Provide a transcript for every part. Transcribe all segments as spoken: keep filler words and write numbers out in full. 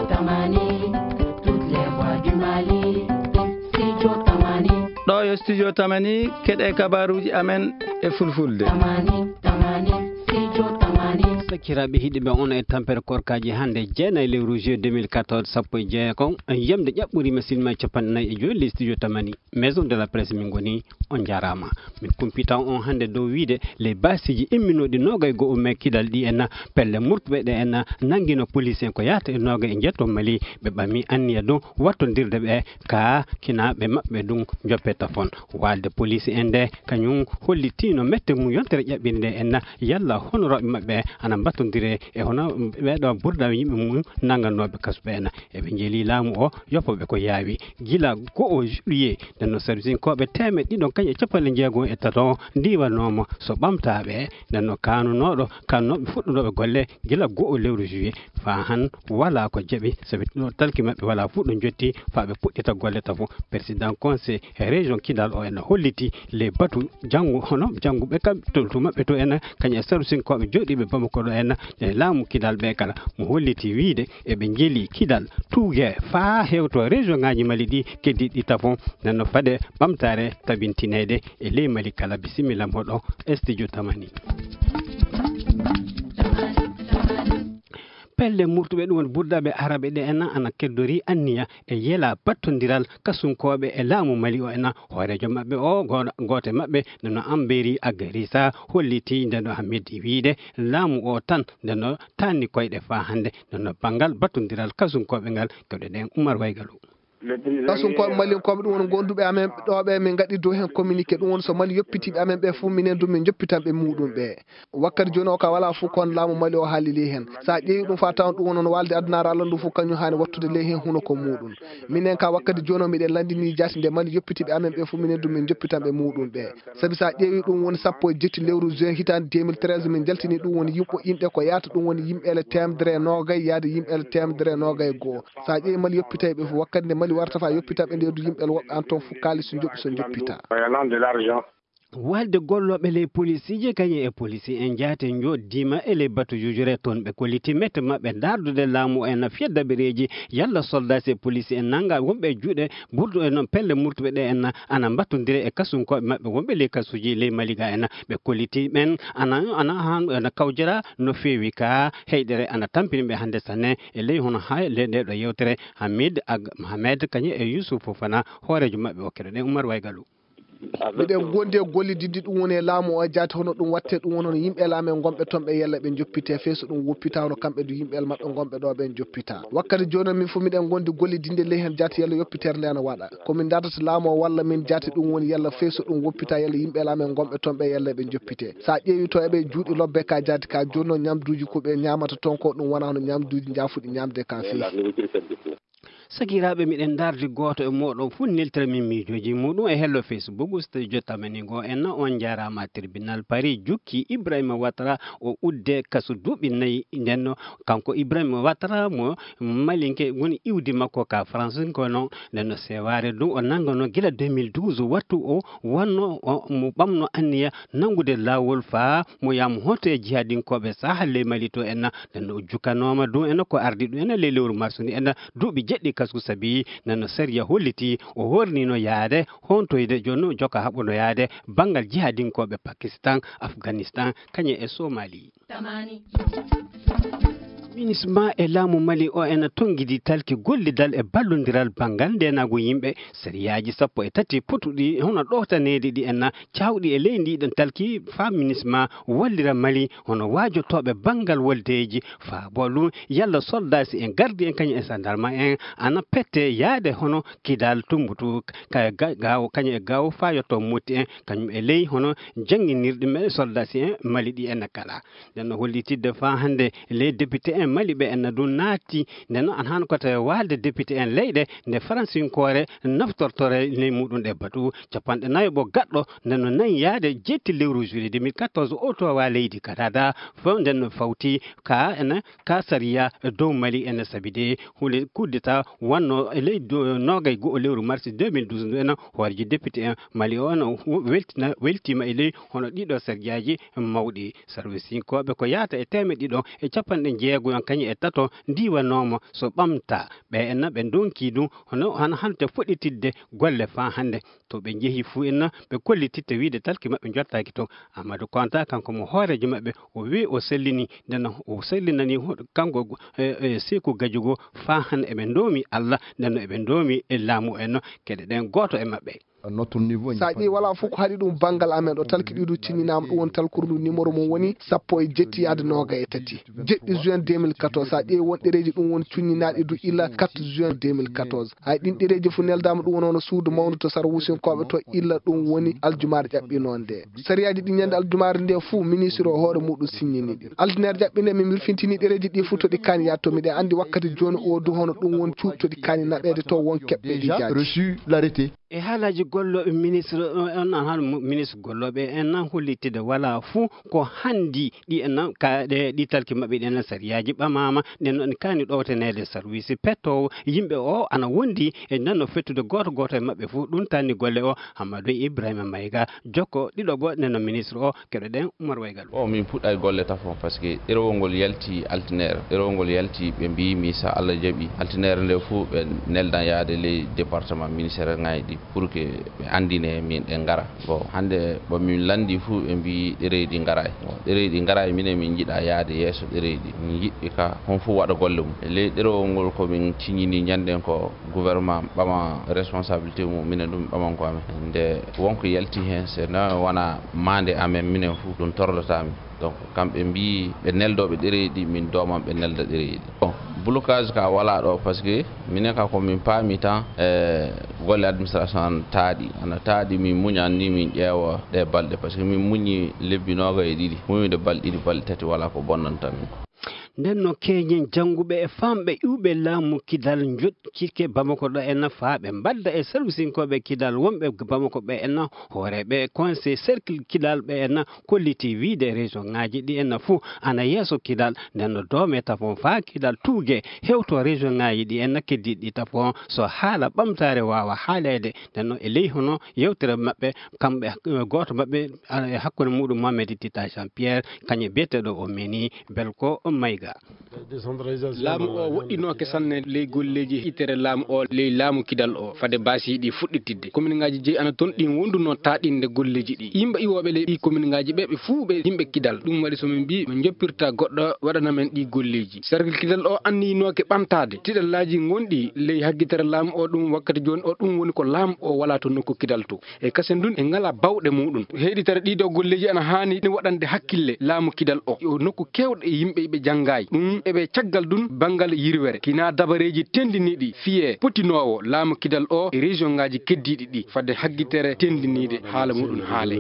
Tamani, toutes les voix du Mali. Studio Tamani. Ɗo yo Studio Tamani, keɗe kabaruji amen e fulfulde. Tamani, Tamani, Studio Tamani. Sakiraaɓe hiɗiɓe on e tampere korkaji hannde, jeenayi lewru juillet deux mille quatorze, sappo e jeegom, yamde ƴaɓɓuri ma sinma capanɗe nayi e joyi ley Studio Tamani, Maison de la Presse min ngoni. On njaaraama. Min kumpita on hannde dow wiide ley baasiiji imminooɗi noogay go'o mai kidal ɗi en pelle murtuɓe ɗe en nanngino police en ko yahata e noogay e njeeto Mali, ɓe ɓami anniya ɗum wattondirde ɓe ka kinaaɓe maɓɓe ɗum joppe tafon. Waalde police en nde kañum hollitiino mette mum yontere ƴaɓɓiri nde en yalla honorooɓe maɓɓe ana mbattondire e hono ɓeeɗo burda yimɓe mum nannganooɓe kasu ɓe en. Eɓe njeeli laamu o yoppooɓe ko yaawi gila go'o juillet. Nden no servisinkooɓe teemeɗɗe ɗiɗo kañum e capanɗe jeego e tato ndiwanooma so ɓamtaaɓe. Nden no kaanunooɗo kannooɓe fuɗɗunooɓe golle gila go'o lewru juillet faa han walaa ko jaɓi, sabi ɗo talki maɓɓe walaa fuɗɗo jotti faa ɓe puɗɗita golle tafo. Président conseil région Kidal o ena holliti les batu janngu hono jannguɓe kam toltu maɓɓe to ena kañum e servisinkooɓe jooɗiiɓe Bamako ɗo ena e laamu Kidal ɓe kala mo holliti wiide eɓe njeeli Kidal tuugee faa hewto région ŋaaji Mali ɗi keddiiɗi tafo. Nden no fade ɓamtaare tabintineede e ley Mali kala. Bisimilla moɗo Studio Tamani. Pelle murtuɓe ɗum woni burdaaɓe araɓe ɗe ena ana keddori anniya e yela battondiral kasunkooɓe e laamu Mali o ena hooreejo maɓɓe o go- gooto e maɓɓe nde no Amberi Agarisa holliti nde no Hamid wiide laamu o tan nde no tanni koyɗe faa hannde nde no banngal battondiral kasunkooɓe ngal kewɗe ɗen Umar Waygalu. Kasunkooɓe malinkooɓe ɗum woni gonduɓe amen ɗo ɓe min ngaɗi dow heen communiqué ɗum woni so Mali yoppitiiɓe amen ɓe fof minen du min joppitan ɓe muɗum ɓe. Wakkati jooni o ka walaa fof kon laamu Mali o haali ley heen. So a ƴeewi ɗum faa tawan ɗum woni no waalde adunaaru Allah ndu fof kañum haani wattude ley heen hunuko muɗum. Minen ka wakkati jooni o miɗen lanndini jaati nde Mali yoppitiiɓe amen ɓe fof minen du min joppitan ɓe muɗum ɓe. Sabi so a ƴeewi ɗum woni sappo e jetti lewru juin hitaande deux mille treize min jaltini ɗum woni yimɓe yimɓe ko yahata ɗum woni yimɓeele teemedere e noogay yaade yimɓeele teemedere e noogay e goo. So a ƴeewi Mali yoppitay ɓe fof wakkati nde Mali warata faa yoppita ɓe nde du yimɓeele woɓɓe an toon fof kaalis so joɓi so joppita. Waalde gollooɓe ley polisiije kañum e polisi en jaate njoɗdiima e ley batu jujure toon ɓe kolliti mette maɓɓe ndaardude laamu en fiyedda ɓereeji yalla soldaasi e polisi en nannga wonɓe e juuɗe burdu e noon pelle murtuɓe ɗe en ana mbattondire e kasunkooɓe maɓɓe wonɓe ley kasuuji ley Mali ga en ɓe kolliti ɓen ana ana han ana kawjira no feewi ka heyɗere ana tampini ɓe hannde sanne e ley hono ha le nde ɗo yewtere Hamid Ag Mohamed kañum e Yusuf Fofana hooreejo maɓɓe o keɗoɗen Umar Waygalu. Miɗen gondi e gollididde ɗum woni e laamu o e jaati hono ɗum watte ɗum woni hono yimɓe laamu en gonɓe toon ɓe yalla ɓe joppite fey so ɗum woppita hono kamɓe du yimɓe maɓɓe gonɓe ɗo ɓen joppita wakkati jooni min fof miɗen gondi gollidinde ley heen jaati yalla yoppitere nde ana waɗa ko min dardata laamu o walla min jaati ɗum woni yalla fey so ɗum woppita yalla yimɓe laamu en gonɓe toon ɓe yalla ɓe joppite so a ƴeewi to eɓe juuɗi lobbe ka jaati ka jooni no ñamduuji ko ɓe ñamata toon ko ɗum wona hono ñamduuji jaafuɗi ñamde ka fey. Sakiraaɓe, miɗen ndaardi gooto e mooɗon fuu neltira min miijooji muuɗum e hello Facebook, Studio Tamani ngo. En on njaaraama. Tribunal Paris jukki Ibrahima Ouattara o udde kasu duuɓi nayi. Ndenno kanko Ibrahima Ouattara mo malinke woni iwdi makko ka France ko noon ndenno sewaare ndu o nanngano gila deux mille douze wattu o wanno o mo ɓamno anniya nanngude laawol faa mo yaamu hoto e jihadinkooɓe saha ley Mali to en. Ndenno o jukkanooma ɗum en ko ardi ɗum en ley lewru mars ni en duuɓi jeɗɗi kasku sabi nano sariya holliti o hornino yaade hontoyde jono joka haɓuno yaade banngal jihadinkooɓe Pakistan, Afghanistan, kañe e Somali. Minisma e laamu Mali o ena tonngidi talki gollidal e ballondiral banngal ndenagu yimɓe sariyaaji sappo e tati potuɗi hono ɗowtaneede ɗi en cawɗi e ley ndiɗon talki faa Minisma wallira Mali hono waajotooɓe banngal woldeeji faa boolu yalla soldaasi en gardi en kañum e sandarma en ana pette yaade hono Kidal Tumbutu ka ga- gaawo kañum e gaawo faa yotto motti en kañum e ley hono jannginirɗi me soldaasi en Mali ɗi en kala. Nden no hollitidde faa hannde les députés en Mali ɓe en ɗum naati nden no an hano ko tawi waalde député en leyɗe nde faransinkoore naftortore ley muɗum ɗe batu capanɗe nayo ɓo gaɗɗo nden no nayi yaade jetti lewru juillet deux mille quatorze o towa leydi Canada fof nden no fawti ka ene ka sariya dow Mali ene sabi de hunde coup d'état wanno e ley do- nogay go'o lewru mars deux mille douze ndu ene hooreji député en Mali o ene weltina weltima e ley hono ɗiɗo sarjaaji mawɗi service inkooɓe ko yahata e teemeɗɗe ɗiɗo e capanɗe jeego Kañum e tato ndiwanooma so ɓamta ɓe enna ɓe ndonki ɗum hono hano hante fuɗɗitidde golle faa hannde. To ɓe njehi fuu enna ɓe kollititte wiide talki maɓɓe njottaaki toon. Amadou Konta kanko mo hooreejo maɓɓe o wii o sellini ndenno o sellinani kanko e seeku gajugo faa hannde eɓe ndoomi Allah ndenno eɓe ndoomi e laamu enno keɗe ɗen gooto e maɓɓe. Sa ƴeewi wala fof ko haɗi ɗum banngal amen ɗo talki ɗiɗo cinninaama ɗum woni talkuru ndu numéro mum woni sappo e jetti yaade nooga e tati jeɗɗi juin deux mille quatorze. Sa ƴeewi won ɗereeji ɗum woni cunninaaɗi du illa quatre juin deux mille quatorze. Hay ɗin ɗereeji fof neldaama ɗum woni hono suudu mawndu to sara wusinkooɓe to illa ɗum woni aljumaare ƴaɓɓinoo nde. Sariyaaji ɗi ñande aljumaare nde fof ministre o hoore muɗum signini ɗi. Aldineere ƴaɓɓinde min mbirfintini ɗereeji ɗi fof to ɗi kaani yaade to miɗen anndi wakkati jooni o du hono ɗum woni cuuɗi to ɗi kaani naɓeede to won keɓɓe ɗi jaaji. E haalaaji gollooɓe ministre on an hano ministre gollooɓe en nan hollitide wala fuu ko hanndi ɗi en nan ka ɗe ɗi talki maɓɓe ɗi en nan sariyaaji ɓamaama ɗen non kaani ɗowtaneede sarwiisi pettoowo yimɓe o ana wondi e nan no fettude gooto gooto e maɓɓe fuu ɗum tanni golle o. Hammadou Ibrahima Mayga jokko ɗiɗoɓo nden no ministre o. Keɗoɗen Umar Waygal. O min puɗɗay golle tafon par ce que ɗerewol ngol yalti altineere ɗerewol ngol yalti ɓe mbiyimi so Allah jaɓi altineere nde fuu ɓe neldan yaade ley département ministère ngaji ɗi pour que ɓe andine min ɗe ngara. Bon hannde ɓo min lanndi fuu ɓe mbiyi ɗereyɗi ngaray. Bon ɗereyɗi ngaray minen min njiɗa yaade yeeso ɗereyɗi min njiɗɓe ka hon fuu waɗa golle mum e ley ɗerewol ngol ko min ciññini ñannden ko gouvernement ɓama responsabilité mum minen ɗum ɓaman ko amen nde wonko yalti heen so na wona maande amen minen fuu ɗum torlata min. Donc kamɓe mbi ɓe neldooɓe ɗereeji ɗi min dooman ɓe nelda ɗereeji ɗi. Bon blocage ka wala ɗo par ce que minen ka ko min paami tan e golle administration an taaɗi ana taaɗi min muñan ni min ƴeewa ɗe balɗe par ce que min muñi lebbi nooga e ɗiɗi muñude balɗe ɗiɗi balɗe tati wala ko bonnanta min. Nden no keñen jannguɓe e famɓe iwɓe laamu kidal njoɗ cike bamako ɗo en faa ɓe mbadda e salwisinkooɓe kidal wonɓe bamako ɓe en hooreeɓe conseil cercle kidal ɓe en kolliti wiide région ngaji ɗi en fuu ana yeeso kidal. Nden no doome tafon faa kidal tuuge hewto région ngaji ɗi en keddiɗi tafon so haala ɓamtaare waawa haaleede. Nden no e ley hono yewtere maɓɓe kamɓe gooto maɓɓe e hakkunde muɗum mohamed tita jean pierre kañum biyeteɗo o meni belko mayga. Laamu o woɗɗinooke sanne ley golleeji itere laamu o ley laamu kidal o fade baasiiɗi fuɗɗitidde kominngaaji jeyi ana toon ɗin wonduno taaɗinde golleeji ɗi yimɓe iwooɓe ley ɗi kominngaaji ɓe ɓe fuu ɓe yimɓe kidal ɗum waɗi so min mbi min njoppirta goɗɗo waɗana men ɗi golleeji sarkil kidal o anniyinooke ɓamtaade tiɗallaaji ngonɗi ley haggitere laamu o ɗum wakkati jooni o ɗum woni ko laamu o wala to nokku kidal to e kasen ndun e ngala bawɗe muɗum heɗitere ɗiɗo golleeji ana haani ne waɗande hakkille laamu kidal o yo nokku kewɗo e yimɓe ɓe janngayi ɗum eɓe caggal ɗum banngal yirwere kina dabareeji tendiniiɗi fiye potinoowo laamu kidal o e région ngaji keddiiɗi ɗi fadde haggitere tendiniiɗe haala muɗum haale.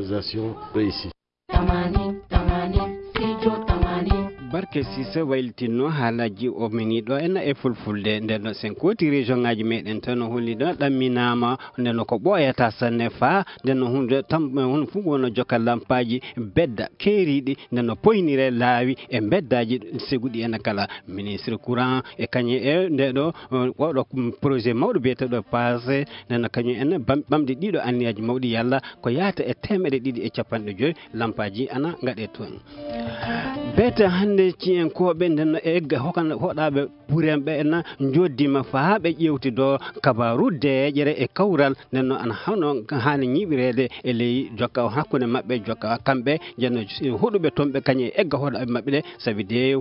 Tamani, tamani, sijo tamani. Barke sise waylitinno haalaaji o mini ɗo en e fulfulde nden no sen kooti région ngaji meɗen tan no holli ɗo ɗamminama nden no ko ɓooyata sanne faa nden no hunde tam hun fof wonno jokka lampaaji bedda keeriiɗi nden no poynire laawi e beddaaji seguɗi en kala. Ministre courant e kañum e nde ɗo oɗo projet mawɗo biyeteɗo passé nden no kañum en ɓamɗi ɗiɗo anniyaaji mawɗi yalla ko yahata e teemeɗe ɗiɗi e capanɗe joyi lampaaji ana ngaɗe toon. Beete hannde ciyenkooɓe nden no egga hoɗaaɓe burenɓe en njoddima faa ɓe ƴewtido kabaru deeƴere e kawral nden no ana hano haani ñiɓireede e ley jokka hakkunde maɓɓe jokka kamɓe njenno huɗuɓe toon ɓe kañum e egga hoɗaaɓe maɓɓe ɗe sabi de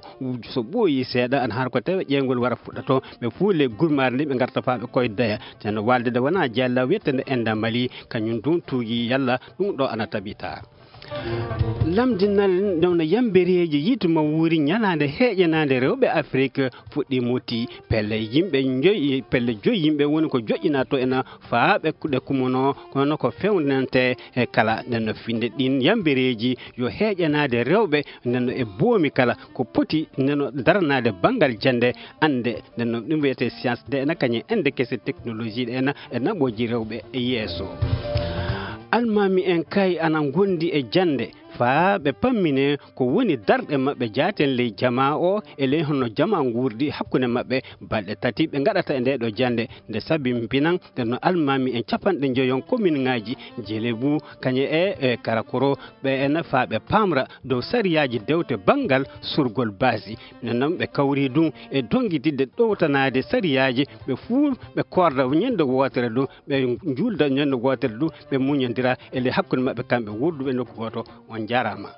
so ɓooyi seeɗa ana har ko tawi ƴeewgol wara fuɗɗa toon ɓe fuule gurmaare nde ɓe ngarta faa ɓe koydoya teno waalde nde wona jalla wiyetende enda mali kañum ɗum tuugi yalla ɗum ɗo ana tabita. Lamdinal nde wona yambereeji yiitu ma wuuri ñalaande heeƴanaande rewɓe afrik fuɗɗi muti pelle yimɓe joyi pelle joyi yimɓe woni ko joƴƴinaa to ena faa ɓe kuɗe kumono kono ko fewnante e kala nden no finde ɗin yambereeji yo heeƴanaade rewɓe nden no e boomi kala ko poti nden no daranaade banngal jannde annde nden no ɗum wiyetee science nde ena kañum ende kese technologie ɗe ena e naɓooji rewɓe e yeeso. Almaami en kay ana ngondi e jannde Faa ɓe pammine ko woni darɗe maɓɓe jaaten ley jamaa o, e ley honno jamaa nguurdi hakkunde maɓɓe. Balɗe tati ɓe ngaɗata e ndee ɗoo jannde, nde sabi mbinan ɗen no almaami en capanɗe njoyon kominŋaaji Jelebu, Kañe e, e Karakoro, ɓe ena faa ɓe paamra dow sariyaaji dewte banngal surgol baasi. Ɓe noon ɓe kawri ɗum e donngitidde ɗowtanaade sariyaaji, ɓe fuu ɓe koorda ñande wootere ɗum, ɓe njuulda ñande wootere ɗum, ɓe muñondira e ley hakkunde maɓɓe kamɓe wonduɓe nokku gooto. On njaaraama.